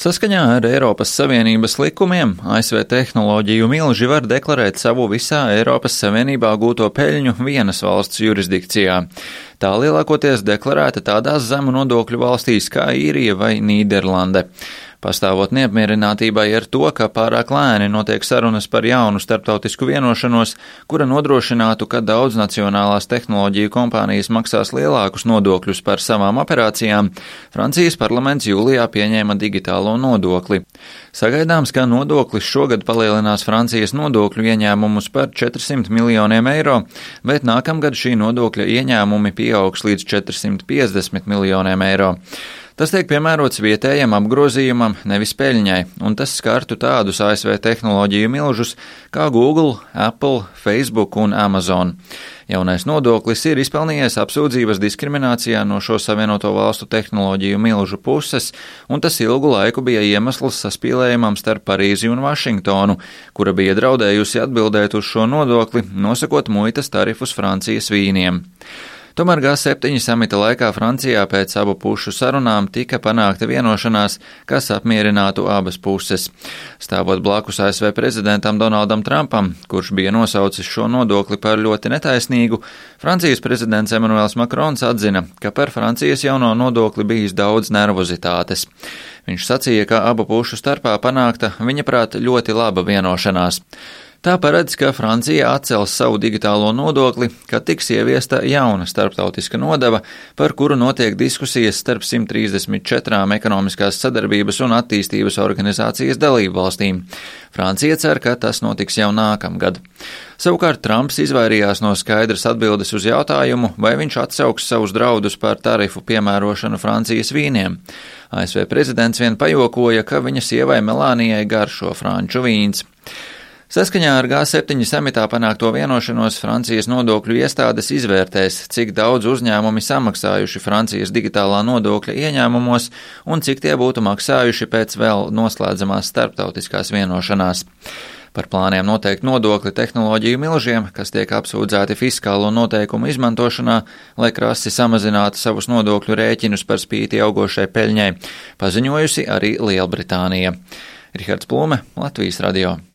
Saskaņā ar Eiropas Savienības likumiem ASV tehnoloģiju milži var deklarēt savu visā Eiropas Savienībā gūto peļņu vienas valsts jurisdikcijā. Tā lielākoties deklarēta tādās zemu nodokļu valstīs kā Īrija vai Nīderlande. Pastāvot neapmierinātībai ar to, ka pārāk lēni notiek sarunas par jaunu starptautisku vienošanos, kura nodrošinātu, ka daudznacionālās tehnoloģiju kompānijas maksās lielākus nodokļus par savām operācijām, Francijas parlaments jūlijā pieņēma digitālo nodokli. Sagaidāms, ka nodoklis šogad palielinās Francijas nodokļu ieņēmumus par 400 miljoniem eiro, bet nākamgad šī nodokļa ieņēmumi pieaugs līdz 450 miljoniem eiro. Tas tiek piemērots vietējam apgrozījumam, nevis peļņai, un tas skartu tādus ASV tehnoloģiju milžus kā Google, Apple, Facebook un Amazon. Jaunais nodoklis ir izpelnījies apsūdzības diskriminācijā no šo Savienoto valstu tehnoloģiju milžu puses, un tas ilgu laiku bija iemesls saspīlējumam starp Parīzi un Vašingtonu, kura bija draudējusi atbildēt uz šo nodokli, nosakot muitas tarifus Francijas vīniem. Tomēr G7 samita laikā Francijā pēc abu pušu sarunām tika panākta vienošanās, kas apmierinātu abas puses. Stāvot blakus ASV prezidentam Donaldam Trumpam, kurš bija nosaucis šo nodokli par ļoti netaisnīgu, Francijas prezidents Emmanuels Macrons atzina, ka par Francijas jauno nodokli bijis daudz nervozitātes. Viņš sacīja, ka abu pušu starpā panākta, viņa prāt, ļoti laba vienošanās. Tā paredz, ka Francija atcels savu digitālo nodokli, kad tiks ieviesta jauna starptautiska nodeva, par kuru notiek diskusijas starp 134 ekonomiskās sadarbības un attīstības organizācijas dalību valstīm. Francija cer, ka tas notiks jau nākamgad. Savukārt Trumps izvairījās no skaidras atbildes uz jautājumu, vai viņš atsauks savus draudus par tarifu piemērošanu Francijas vīniem. ASV prezidents vien pajokoja, ka viņa sievai Melānijai garšo franču vīns. Saskaņā ar G7 samitā panākto vienošanos Francijas nodokļu iestādes izvērtēs, cik daudz uzņēmumi samaksājuši Francijas digitālā nodokļa ieņēmumos un cik tie būtu maksājuši pēc vēl noslēdzamās starptautiskās vienošanās. Par plāniem noteikt nodokli tehnoloģiju milžiem, kas tiek apsūdzēti fiskālo noteikumu izmantošanā, lai krasi samazinātu savus nodokļu rēķinus par spīti augošai peļņai, paziņojusi arī Lielbritānija. Rihards Plūme, Latvijas radio.